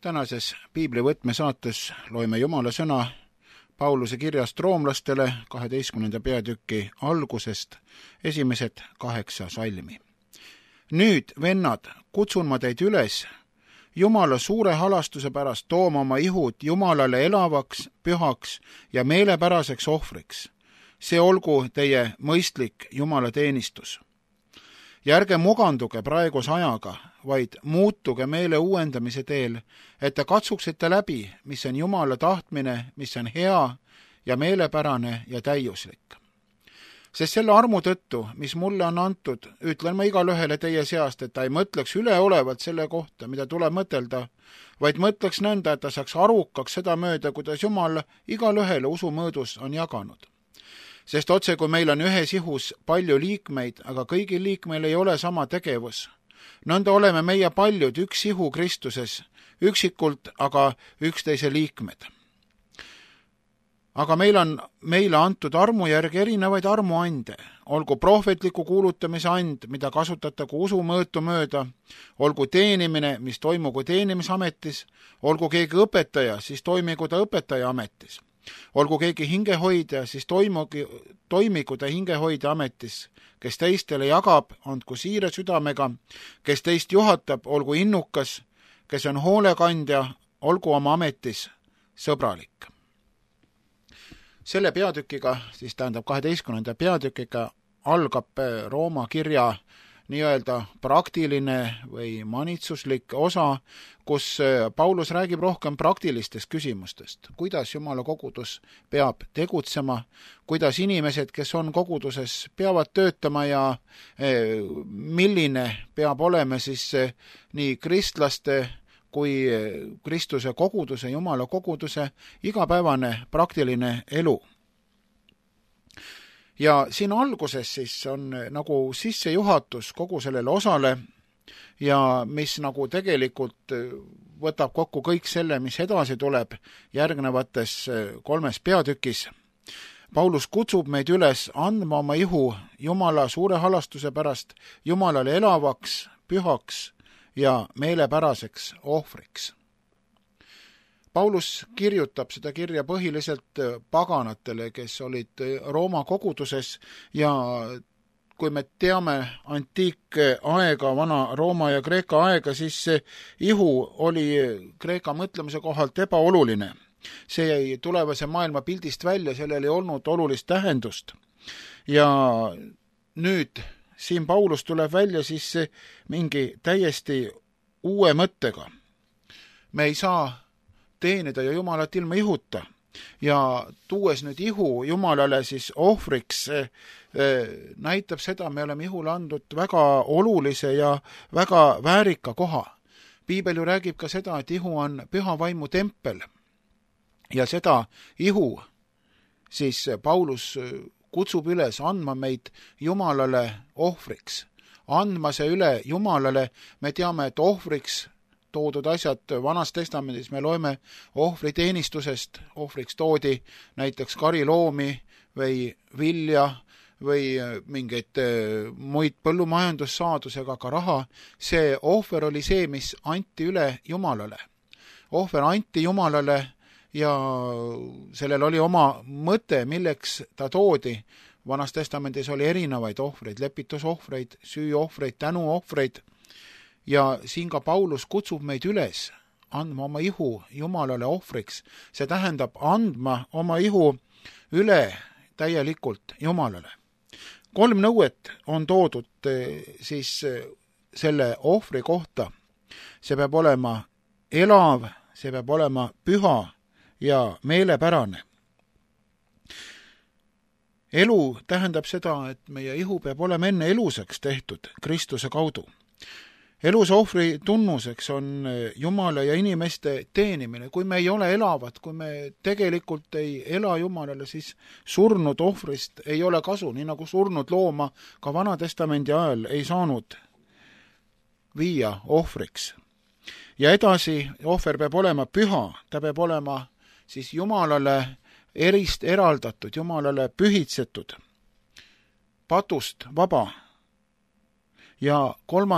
Tänases piibli võtmesaates loeme Jumala sõna Pauluse kirjast roomlastele 12. peatüki algusest esimesed 8 salmi. Nüüd, vennad, kutsun ma teid üles Jumala suure halastuse pärast tooma oma ihud Jumalale elavaks, pühaks ja meelepäraseks ohvriks. See olgu teie mõistlik Jumala teenistus. Ja ärge muganduge praeguse ajaga, vaid muutuge meele uuendamise teel, et te katsuksite läbi, mis on Jumala tahtmine, mis on hea ja meelepärane ja täiuslik. Sest selle armu tõttu, mis mulle on antud, ütlen ma igalühele teie seast, et ta ei mõtleks üleolevalt selle kohta, mida tuleb mõtelda, vaid mõtleks nõnda, et ta saaks arukaks seda mööda, kuidas Jumal igalühele usumõõdus on jaganud. Sest otse, kui meil on ühes ihus palju liikmeid, aga kõigil liikmeil ei ole sama tegevus, nõnda oleme meie paljud üks ihu Kristuses, üksikult aga üksteise liikmed. Aga meil on meile antud armu järgi erinevaid armuande, olgu prohvetliku kuulutamise and, mida kasutatagu usumõõtu mööda, olgu teenimine, mis toimugu teenimisametis, olgu keegi õpetaja, siis toimigu ta õpetaja ametis. Olgu keegi hingehoidja, siis toimigu ta hingehoidja ametis, kes teistele jagab, andku siire südamega, kes teist juhatab, olgu innukas, kes on hoolekandja, olgu oma ametis sõbralik. Selle peatükiga, siis tähendab 12. peatükiga, algab Rooma kirja nii-öelda praktiline või manitsuslik osa, kus Paulus räägib rohkem praktilistest küsimustest, kuidas Jumala kogudus peab tegutsema, kuidas inimesed, kes on koguduses, peavad töötama ja milline peab olema siis nii kristlaste kui Kristuse koguduse, Jumala koguduse igapäevane praktiline elu. Ja siin alguses siis on nagu sissejuhatus kogu sellele osale ja mis nagu tegelikult võtab kokku kõik selle, mis edasi tuleb järgnevates 3 peatükis. Paulus kutsub meid üles andma oma ihu Jumala suure halastuse pärast Jumalale elavaks, pühaks ja meelepäraseks ohvriks. Paulus kirjutab seda kirja põhiliselt paganatele, kes olid Rooma koguduses ja kui me teame antiikaega, vana Rooma ja Kreeka aega, siis see ihu oli Kreeka mõtlemise kohalt ebaoluline. See jäi tulevase maailma pildist välja, sellel ei olnud olulist tähendust. Ja nüüd siin Paulus tuleb välja siis mingi täiesti uue mõttega. Me ei saa teenida ja Jumalat ilma ihuta ja tuues nüüd ihu Jumalale siis ohvriks näitab seda, me oleme ihule andnud väga olulise ja väga väärika koha. Piibel ju räägib ka seda, et ihu on püha vaimu tempel ja seda ihu siis Paulus kutsub üles andma meid Jumalale ohvriks. Andma see üle Jumalale, me teame, et ohvriks toodud asjad Vanas Testamendis, me loeme ohvriteenistusest, ohvriks toodi näiteks kariloomi või vilja või mingeid muid põllumajandussaadusega ka raha. See ohver oli see, mis anti üle Jumalale. Ohver anti Jumalale ja sellel oli oma mõte, milleks ta toodi. Vanas Testamendis oli erinevaid ohvreid, lepitusohvreid, süüohvreid, tänuohvreid. Ja siin ka Paulus kutsub meid üles andma oma ihu Jumalale ohvriks. See tähendab andma oma ihu üle täielikult Jumalale. 3 nõuet on toodud siis selle ohvri kohta. See peab olema elav, see peab olema püha ja meelepärane. Elu tähendab seda, et meie ihu peab olema enne elusaks tehtud Kristuse kaudu. Elus ohvri tunnuseks on Jumala ja inimeste teenimine. Kui me ei ole elavad, kui me tegelikult ei ela Jumalale, siis surnud ohvrist ei ole kasu, nii nagu surnud looma ka Vana Testamendi ajal ei saanud viia ohvriks. Ja edasi, ohver peab olema püha, ta peab olema siis Jumalale eraldatud, Jumalale pühitsetud, patust vaba. Ja 3.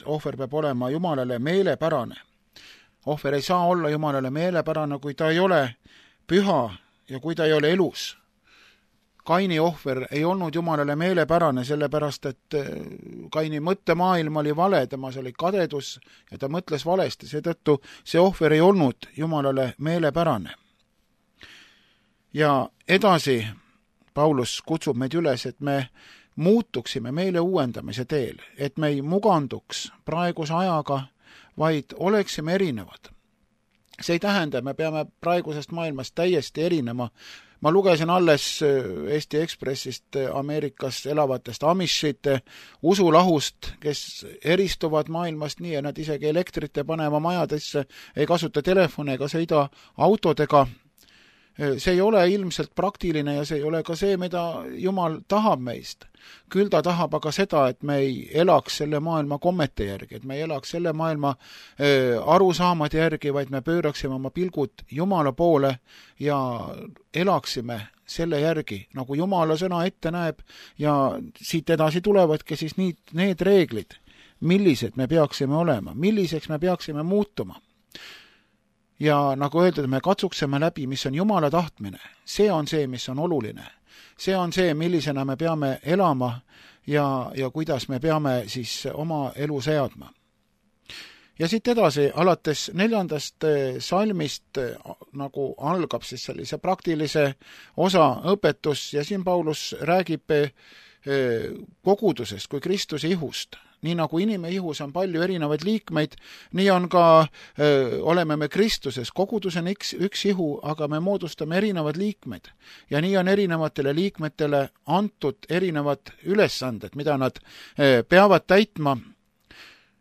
ohver peab olema Jumalale meelepärane. ohver ei saa olla Jumalale meelepärane, kui ta ei ole püha ja kui ta ei ole elus. Kaini ohver ei olnud Jumalale meelepärane, sellepärast et Kaini mõttemaailm oli vale, temas oli kadedus ja ta mõtles valesti, seetõttu see ohver ei olnud Jumalale meelepärane. Ja edasi Paulus kutsub meid üles, et me muutuksime meele uuendamise teel, et me ei muganduks praeguse ajaga, vaid oleksime erinevad. See ei tähenda, me peame praegusest maailmast täiesti erinema. Ma lugesin alles Eesti Ekspressist Ameerikas elavatest amishite usulahust, kes eristuvad maailmast nii, ja nad isegi elektrit ei pane oma majadesse, ei kasuta telefone ega sõida autodega. See ei ole ilmselt praktiline ja see ei ole ka see, mida Jumal tahab meist. Küll ta tahab aga seda, et me ei elaks selle maailma kommete järgi, et me ei elaks selle maailma arusaamade järgi, vaid me pööraksime oma pilgud Jumala poole ja elaksime selle järgi, nagu Jumala sõna ette näeb, ja siit edasi tulevadki siis need reeglid, millised me peaksime olema, milliseks me peaksime muutuma. Ja nagu öeldud, me katsuksime läbi, mis on Jumala tahtmine. See on see, mis on oluline. See on see, millisena me peame elama ja kuidas me peame siis oma elu seadma. Ja siit edasi, alates 4. salmist nagu algab siis sellise praktilise osa õpetus ja siin Paulus räägib kogudusest kui Kristuse ihust. Nii nagu inimene ihus on palju erinevaid liikmeid, nii on ka, oleme me Kristuses. Kogudus on üks ihu, aga me moodustame erinevad liikmed. Ja nii on erinevatele liikmetele antud erinevad ülesanded, mida nad peavad täitma.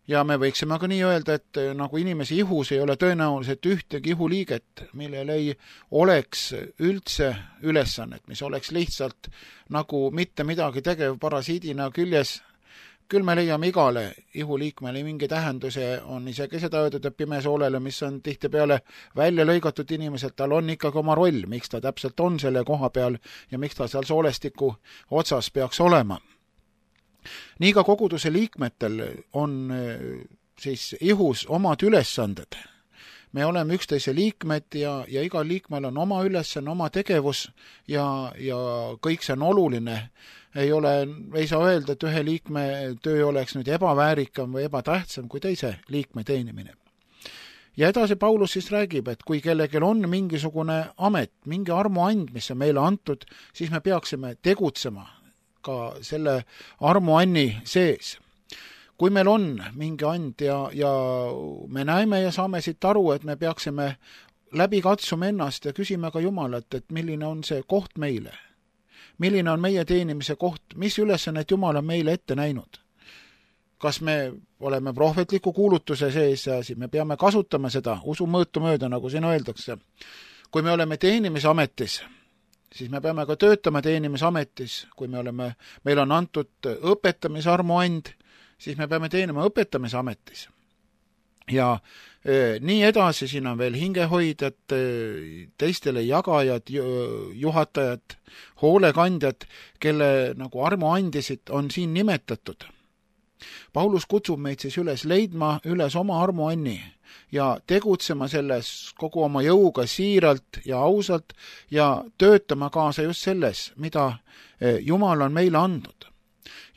Ja me võiksime ka nii öelda, et nagu inimese ihus ei ole tõenäoliselt ühtegi ihuliiget, millel ei oleks üldse ülesannet, mis oleks lihtsalt nagu mitte midagi tegev parasiidina küljes. Küll me leiame igale ihuliikmele mingi tähenduse, on isegi seda öeldud, et pimesoolele, mis on tihtipeale välja lõigatud inimeselt, tal on ikkagi oma roll, miks ta täpselt on selle koha peal ja miks ta seal soolestiku otsas peaks olema. Nii ka koguduse liikmetel on siis ihus omad ülesanded. Me oleme üksteise liikmed ja igal liikmel on oma ülesanne, oma tegevus ja kõik see on oluline. Ei saa öelda, et ühe liikme töö oleks nüüd ebaväärikam või ebatähtsam kui teise liikme teenimine. Ja edasi Paulus siis räägib, et kui kellelgi on mingisugune amet, mingi armuand, mis on meile antud, siis me peaksime tegutsema ka selle armuanni sees. Kui meil on mingi and ja me näeme ja saame siit aru, et me peaksime läbi katsuma ennast ja küsime ka Jumalat, et milline on see koht meile. Milline on meie teenimise koht, mis ülesannet Jumal on meile ette näinud. Kas me oleme prohvetliku kuulutuse sees ja siis me peame kasutama seda usu mõõtu mööda, nagu siin öeldakse. Kui me oleme teenimisametis, siis me peame ka töötama teenimisametis. Kui meil on antud õpetamisarmuand, siis me peame teenima õpetamisametis. Ja nii edasi, siin on veel hingehoidjad, teistele jagajad, juhatajad, hoolekandjad, kelle nagu armuandisid on siin nimetatud. Paulus kutsub meid siis üles leidma üles oma armuanni ja tegutsema selles kogu oma jõuga siiralt ja ausalt ja töötama kaasa just selles, mida Jumal on meile andnud.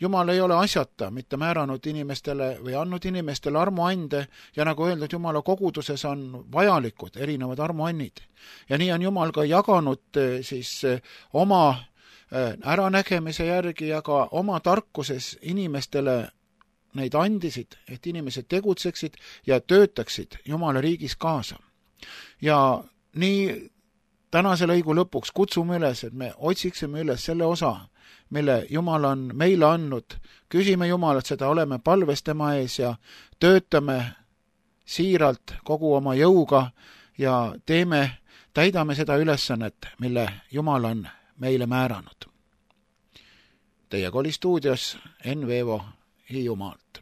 Jumal ei ole asjata mitte määranud inimestele või andnud inimestele armuande ja nagu öeldud, Jumala koguduses on vajalikud erinevad armuannid. Ja nii on Jumal ka jaganud siis oma äranägemise järgi ja ka oma tarkuses inimestele neid andisid, et inimesed tegutseksid ja töötaksid Jumala riigis kaasa. Ja nii tänase lõigu lõpuks kutsume üles, et me otsiksime üles selle osa, mille Jumal on meile andnud. Küsime Jumalat seda, oleme palves tema ees ja töötame siiralt kogu oma jõuga ja täidame seda ülesannet, mille Jumal on meile määranud. Teiega oli stuudios Enn Veevo Hiiumaalt.